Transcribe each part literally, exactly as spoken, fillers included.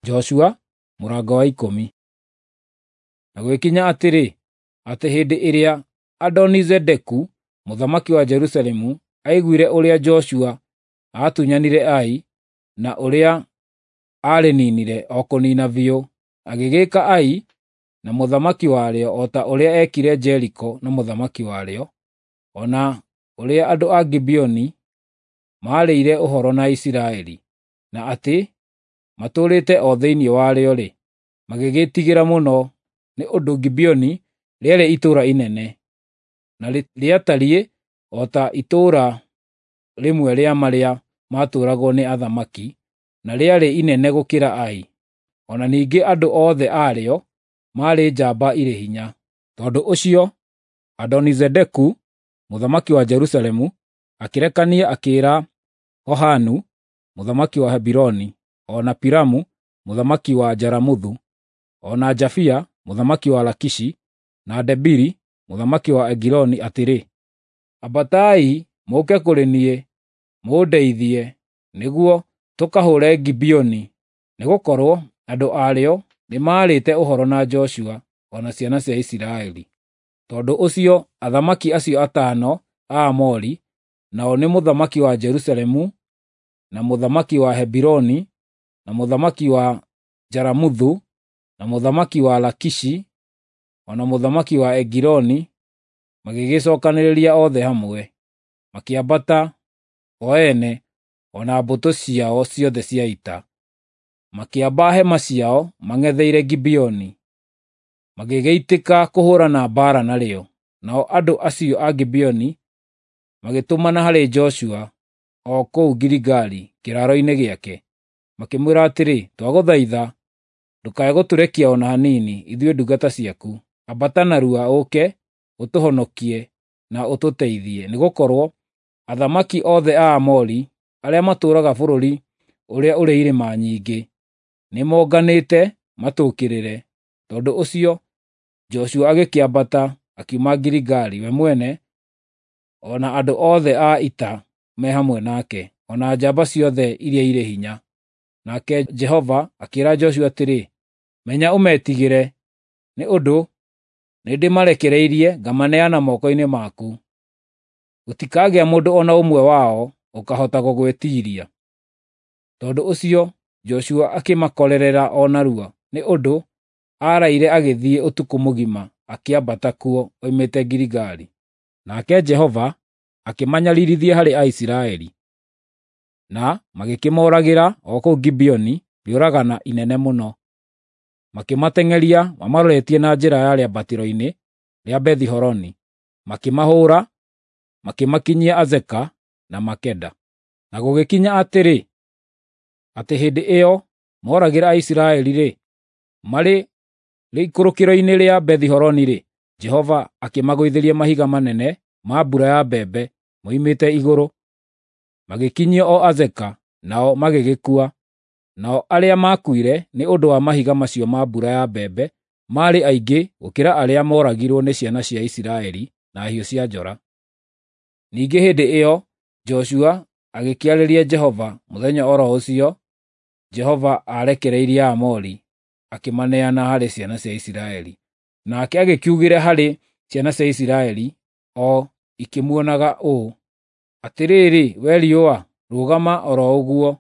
Joshua mũrango wa ikũmi. Na gũgĩkinya atĩrĩ, atĩ hĩndĩ ĩrĩa Adoni-Zedeku mũthamaki wa Jerusalemu aiguire ũrĩa Joshua aatunyanire Ai, na ũrĩa aarĩninire o kũnina biũ, agĩgĩka Ai na mũthamaki warĩo o ta ũrĩa ekire Jeriko na mũthamaki warĩo, o na ũrĩa andũ a Gibeoni maarĩire ũhoro na Isiraeli, na atĩ matũũrĩte o thĩinĩ warĩo-rĩ, magĩgĩĩtigĩra mũno, nĩ ũndũ Gibeoni rĩarĩ itũũra inene, na rĩatariĩ o ta itũũra rĩmwe rĩa marĩa maatũũragwo nĩ athamaki, na rĩarĩ inene gũkĩra Ai. O na ningĩ andũ othe arĩo maarĩ njamba irĩ hinya. Tondũ ũcio Adoni-Zedeku mũthamaki wa Jerusalemu akĩrekania akĩĩra Hohanu mũthamaki wa Hebironi, o na Piramu mũthamaki wa Jaramuthu, o na Jafia mũthamaki wa Lakishi, na Debiri mũthamaki wa Egiloni atĩrĩ, “Ambatai mũũke kũrĩ niĩ mũndeithie nĩguo tũkahũũre Gibeoni, nĩgũkorwo andũ arĩo nĩmarĩte ũhoro na Joshua o na ciana cia Isiraeli.” Tondũ ũcio athamaki acio atano a Aamori, nao nĩ mũthamaki wa Jerusalemu, na mũthamaki wa Hebironi, na mũthamaki wa Jaramuthu, na mũthamaki wa Lakishi, o na mũthamaki wa Egiloni, magĩgĩcookanĩrĩria othe hamwe, makĩambata o ene o na mbũtũ ciao ciothe cia ita, makĩamba hema ciao mang'etheire Gibeoni, magĩgĩitĩka kũhũũrana mbaara narĩo. Nao andũ acio a Gibeoni magĩtũmana harĩ Joshua o kũu Giligali kĩraaro-inĩ gĩake, makĩmwĩra atĩrĩ, “Twagũthaitha ndũkae gũtũrekia o na hanini, ithuĩ ndungata ciaku. Ambata narua ũũke ũtũhonokie na ũtũteithie, nĩgũkorwo athamaki othe a Aamori arĩa matũũraga bũrũri ũrĩa ũrĩ irĩma nyingĩ nĩmonganĩte matũũkĩrĩre.” Tondũ ũcio Joshua agĩkĩambata akiuma Giligali we mwene o na andũ othe a ita me hamwe nake, o na njamba ciothe iria irĩ hinya. Nake Jehova akĩĩra Joshua atĩrĩ, “Menya ũmetigĩre, nĩ ũndũ nĩndĩmarekereirie ngamaneana moko-inĩ maku. Gũtikagĩa mũndũ o na ũmwe wao ũkaahota gũgwĩtiiria.” Tondũ ũcio Joshua akĩmakorerera o narua, nĩ ũndũ aaraire agĩthiĩ ũtukũ mũgima akĩambata kuo oimĩte Giligali. Nake Jehova akĩmanyariirithia harĩ Aisiraeli, na magĩkĩmooragĩra o kũu Gibeoni rĩũragana inene mũno. Makĩmateng'eria mamaroretie na njĩra ya rĩambatĩro-inĩ rĩa Bethi-Horoni, makĩmahũũra, makĩmakinyia Azeka na Makeda. Na gũgĩkinya atĩrĩ, atĩ hĩndĩ ĩyo mooragĩra Aisiraeli-rĩ, marĩ rĩikũrũkĩro-inĩ rĩa Bethi-Horoni-rĩ, Jehova akĩmagũithĩria mahiga manene ma mbura ya mbembe moimĩte igũrũ, magĩkinyio o Azeka, nao magĩgĩkua. Nao arĩa maakuire nĩ ũndũ wa mahiga macio ma mbura ya mbembe maarĩ aingĩ gũkĩra arĩa mooragirwo nĩ ciana cia Isiraeli na hiũ cia njora. Ningĩ hĩndĩ ĩyo Joshua agĩkĩarĩria Jehova mũthenya o ro ũcio Jehova aarekereirie Aamori akĩmaneana harĩ ciana cia Isiraeli. Nake agĩkiugĩra harĩ ciana cia Isiraeli o ikĩmuonaga ũũ, “Atĩrĩrĩ, wee riũa, rũgama o ro ũguo,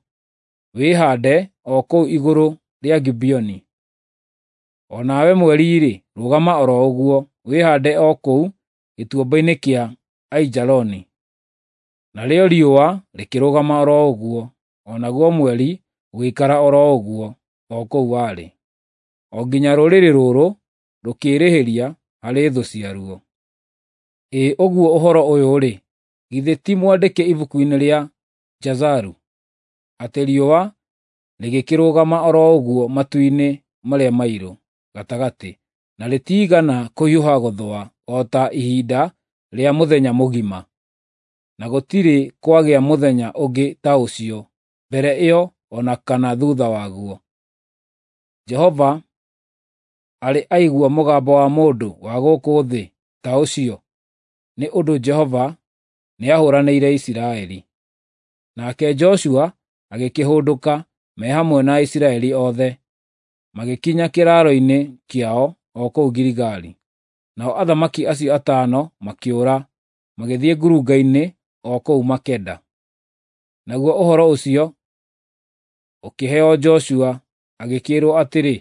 wĩhaande o kũu igũrũ rĩa Gibeoni; o nawe mweri-rĩ, rũgama o ro ũguo, wĩhaande o kũu gĩtuamba-inĩ kĩa Aijaloni.” Narĩo riũa rĩkĩrũgama o ro ũguo, o naguo mweri ũgĩikara o ro ũguo o kũu warĩ, o nginya rũrĩrĩ rũrũ rũkĩĩrĩhĩria harĩ thũ ciaruo. Ĩ ũguo ũhoro ũyũ-rĩ, githĩ ti mwandĩke ibuku-inĩ rĩa Jasharu, atĩ riũa rĩgĩkĩrũgama o ro ũguo matu-inĩ marĩa mairũ gatagatĩ, na rĩtiigana kũhiũha gũthũa o ta ihinda rĩa mũthenya mũgima, na gũtirĩ kwagĩa mũthenya ũngĩ ta ũcio mbere ĩyo o na kana thuutha waguo. Jehova arĩ aigua mũgambo wa mũndũ wa gũkũ thĩ ta ũcio, nĩ ũndũ Jehova nĩahũũranĩire Isiraeli. Nake Joshua agĩkĩhũndũka me hamwe na Aisiraeli othe. magĩkinya kĩraaro-inĩ kĩao o kũu Giligali. Nao athamaki acio atano makĩũra, magĩthiĩ ngurunga-inĩ o kũu Makeda. Naguo ũhoro ũcio ũkĩheo Joshua, agĩkĩĩrwo atĩrĩ,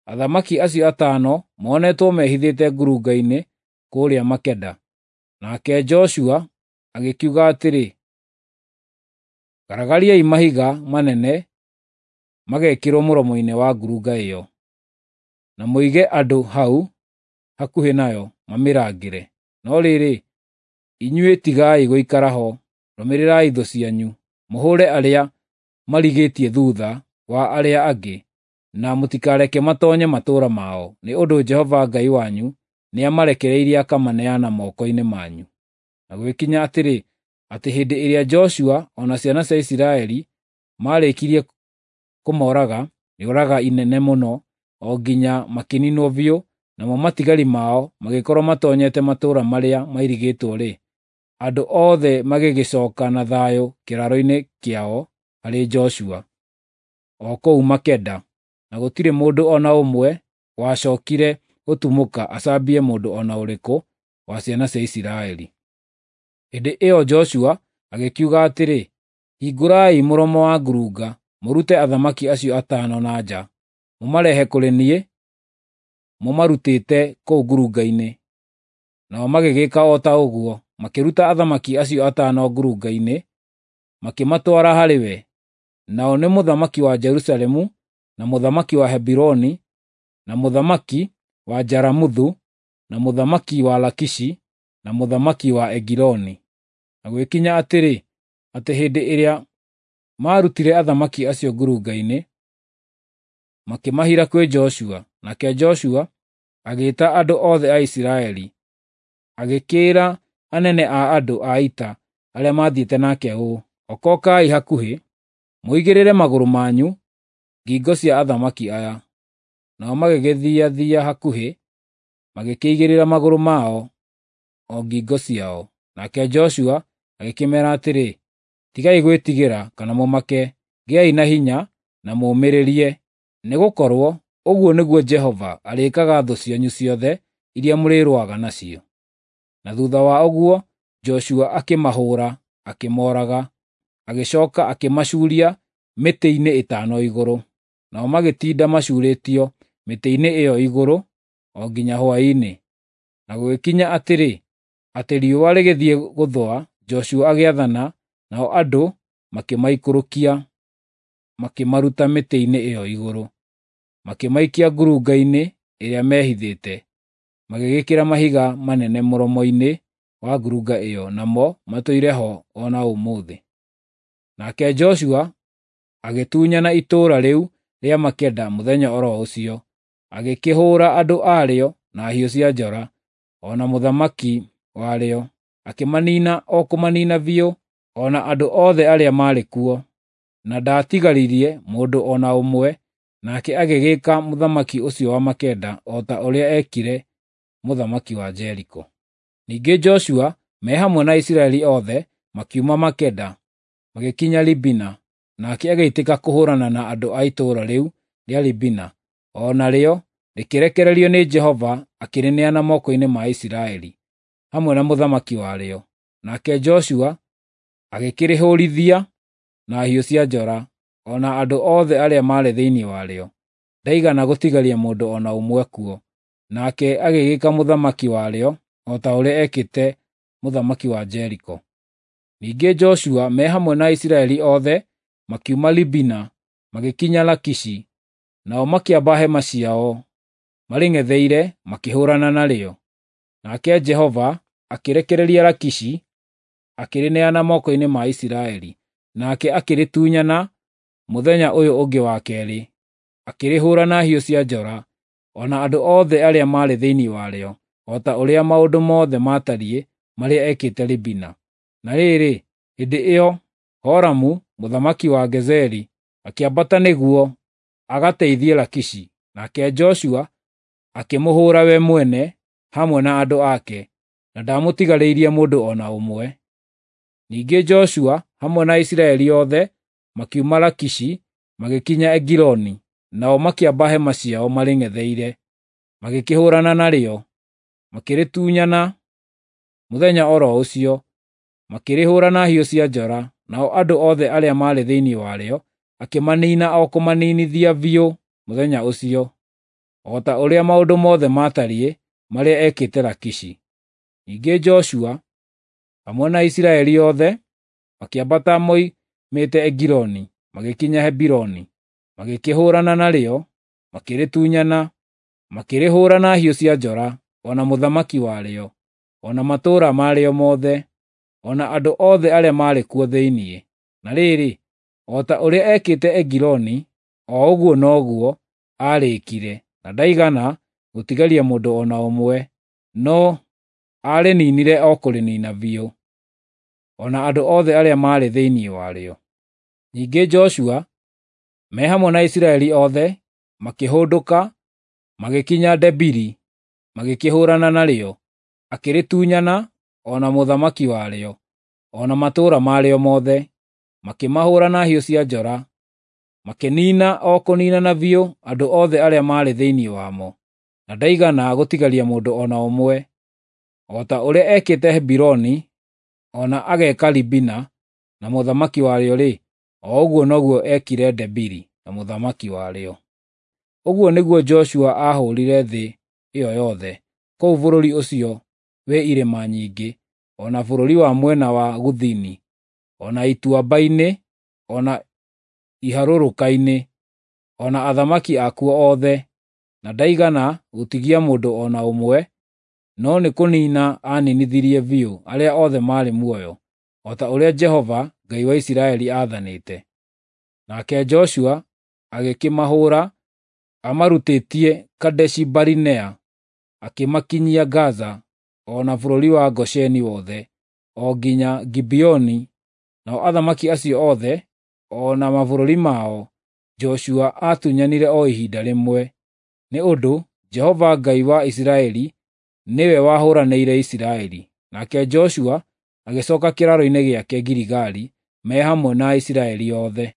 athamaki acio atano monetwo mehithĩte ngurunga-inĩ kũrĩa Makeda. Nake Joshua agĩkiuga atĩrĩ, garagariai mahiga manene magekĩrwo mũromo-inĩ wa ngurunga ĩyo, na mũige andũ hau hakuhĩ nayo mamĩrangĩre. No rĩrĩ, inyuĩ tigai gũikara ho, rũmĩrĩrai thũ cianyu, mũhũre arĩa marigĩtie thutha wa arĩa angĩ, na mũtikareke matoonye matũũra mao, nĩ ũndũ Jehova Ngai wanyu nĩamarekereirie akamaneana moko-inĩ manyu. Na gũgĩkinya atĩrĩ, atĩ hĩndĩ ĩrĩa Joshua o na ciana cia Isiraeli maarĩkirie kũmooraga rĩũraga inene mũno o nginya makĩniinwo biũ, namo matigari mao magĩkorwo matoonyete matũũra marĩa mairigĩtwo-rĩ, andũ othe magĩgĩcooka na thayũ kĩraaro-inĩ kĩao harĩ Joshua, o kũu Makeda, na gũtirĩ mũndũ o na ũmwe wacookire gũtumũka acambie mũndũ o na ũrĩkũ wa ciana cia Isiraeli. Hĩndĩ ĩyo Joshua agĩkiuga atĩrĩ, hingũrai mũromo wa ngurunga, mũrute athamaki acio atano na nja, mũmarehe kũrĩ niĩ mũmarutĩte kũu ngurunga-inĩ. Nao magĩgĩka o ta ũguo, makĩruta athamaki acio atano ngurunga-inĩ, makĩmatwara harĩ we. Nao nĩ mũthamaki wa Jerusalemu, na mũthamaki wa Hebironi, na mũthamaki wa Jaramuthu, na mũthamaki wa Lakishi, na mũthamaki wa Egiloni. Na gũgĩkinya atĩrĩ, atĩ hĩndĩ ĩrĩa maarutire athamaki acio ngurunga-inĩ, makĩmahira kwĩ Joshua. Nake Joshua agĩĩta andũ othe a Isiraeli, agĩkĩĩra anene a andũ a ita arĩa maathiĩte nake ũũ, okokai hakuhĩ, mũigĩrĩre magũrũ manyu ngingo cia athamaki aya. Nao magĩgĩthiathia hakuhĩ, magĩkĩigĩrĩra magũrũ mao o ngingo ciao. Nake Joshua agĩkĩmeera atĩrĩ, tigai gwĩtigĩra kana mũmake, gĩai na hinya na mũũmĩrĩrie, nĩgũkorwo ũguo nĩguo Jehova arĩĩkaga thũ cianyu ciothe iria mũrĩrũaga nacio. Na thutha wa ũguo Joshua akĩmahũũra, akĩmooraga, agĩcooka akĩmacuuria mĩtĩ-inĩ ĩtano igũrũ. Nao magĩtinda macuurĩtio mĩtĩ-inĩ ĩyo igũrũ o nginya hwaĩ-inĩ. Na gũgĩkinya atĩrĩ, atĩ riũa rĩgĩthiĩ gũthũa, Joshua agĩathana, nao andũ makĩmaikũrũkia, makĩmaruta mĩtĩ-inĩ ĩyo igũrũ, makĩmaikia ngurunga-inĩ ĩrĩa meehithĩte. Magĩgĩkĩra mahiga manene mũromo-inĩ wa ngurunga ĩyo, namo matũire ho o na ũmũthĩ. Nake Joshua agĩtunyana itũũra rĩu rĩa Makeda mũthenya o ro ũcio, agĩkĩhũũra andũ arĩo na hiũ cia njora, o na mũthamaki warĩo, akĩmaniina o kũmaniina biũ, o na andũ othe arĩa maarĩ kuo, na ndaatigaririe mũndũ o na ũmwe. Nake agĩgĩka mũthamaki ũcio wa Makeda o ta ũrĩa eekire mũthamaki wa Jeriko. Ningĩ Joshua me hamwe na Isiraeli othe makiuma Makeda, magĩkinya Libina, nake agĩitĩka kũhũũrana na andũ a itũũra rĩu rĩa Libina, o narĩo rĩkĩrekererio nĩ Jehova akĩrĩneana moko-inĩ ma Isiraeli, hamwe na mũthamaki warĩo. Nake Joshua agĩkĩrĩhũũrithia na hiũ cia njora, o na andũ othe arĩa maarĩ thĩinĩ warĩo. Ndaigana gũtigaria mũndũ o na ũmwe kuo. Nake agĩgĩka mũthamaki warĩo o ta ũrĩa eekĩte mũthamaki wa Jeriko. Ningĩ Joshua me hamwe na Isiraeli othe makiuma Libina magĩkinya Lakishi, nao makĩamba hema ciao marĩng'etheire makĩhũũrana narĩo. Nake Jehova akĩrekereria Lakishi, akĩrĩneana moko-inĩ ma Isiraeli, nake akĩrĩtunyana mũthenya ũyũ ũngĩ wa keerĩ, akĩrĩhũũra na hiũ cia njora, o na andũ othe arĩa maarĩ thĩinĩ warĩo, o ta ũrĩa maũndũ mothe maatariĩ marĩa ekĩte Libina. Na rĩrĩ, hĩndĩ ĩyo Horamu mũthamaki wa Gezeri akĩambata nĩguo agateithie Lakishi, nake Joshua akĩmũhũũra we mwene hamwe na andũ ake, na ndaamũtigarĩirie mũndũ o na ũmwe. Ningĩ Joshua hamwe na Isiraeli othe makiuma Lakishi magĩkinya Egiloni. Nao makĩamba hema ciao marĩng'etheire, magĩkĩhũũrana narĩo, makĩrĩtunyana mũthenya o ro ũcio, makĩrĩhũũra na hiũ cia njora, nao andũ othe arĩa maarĩ thĩinĩ warĩo akĩmaniina o kũmaninithia biũ mũthenya ũcio, o ta ũrĩa maũndũ mothe maatariĩ marĩa ekĩte Lakishi. Ningĩ Joshua hamwe na Isiraeli othe makĩambata moimĩte Egiloni magĩkinya Hebironi, magĩkĩhũũrana narĩo, makĩrĩtunyana, makĩrĩhũũra na hiũ cia njora, o na mũthamaki warĩo, o na matũũra marĩo mothe, o na andũ othe arĩa maarĩ kuo thĩinĩ. Na rĩrĩ, o ta ũrĩa ekĩte Egiloni, o ũguo noguo aarĩĩkire, na ndaigana gũtigaria mũndũ o na ũmwe, no aarĩninire o kũrĩniina biũ, o na andũ othe arĩa maarĩ thĩinĩ warĩo. Ningĩ Joshua me hamwe na Isiraeli othe makĩhũndũka magĩkinya Debiri, magĩkĩhũũrana narĩo, akĩrĩtunyana o na mũthamaki warĩo, o na matũũra marĩo mothe, makĩmahũũra na hiũ cia njora, makĩniina o kũniinana biũ andũ othe arĩa maarĩ thĩinĩ wamo, na ndaigana gũtigaria mũndũ o na ũmwe, o ta ũrĩa ekĩte Hebironi, o na ageka Libina na mũthamaki warĩo-rĩ, o ũguo noguo ekire Debiri na mũthamaki warĩo. Ũguo nĩguo Joshua aahũũrire thĩ ĩyo yothe, kũu bũrũri ũcio wĩ irĩma nyingĩ, o na bũrũri wa mwena wa gũthini, o na ituamba-inĩ, o na iharũrũka-inĩ, o na athamaki akuo othe, na ndaigana gũtigia mũndũ o na ũmwe, no nĩ kũniina aaninithirie biũ arĩa othe maarĩ muoyo, o ta ũrĩa Jehova Ngai wa Isiraeli aathanĩte. Nake Joshua agĩkĩmahũũra amarutĩtie Kadeshi-Barinea akĩmakinyia Gaza, o na bũrũri wa Gosheni wothe, o nginya Gibeoni. Nao athamaki acio othe, o na mabũrũri mao, Joshua aatunyanire o ihinda rĩmwe, nĩ ũndũ Jehova Ngai wa Isiraeli nĩwe wahũũranĩire Isiraeli. Nake Joshua agĩcooka kĩraaro-inĩ gĩake Giligali me hamwe na Isiraeli othe.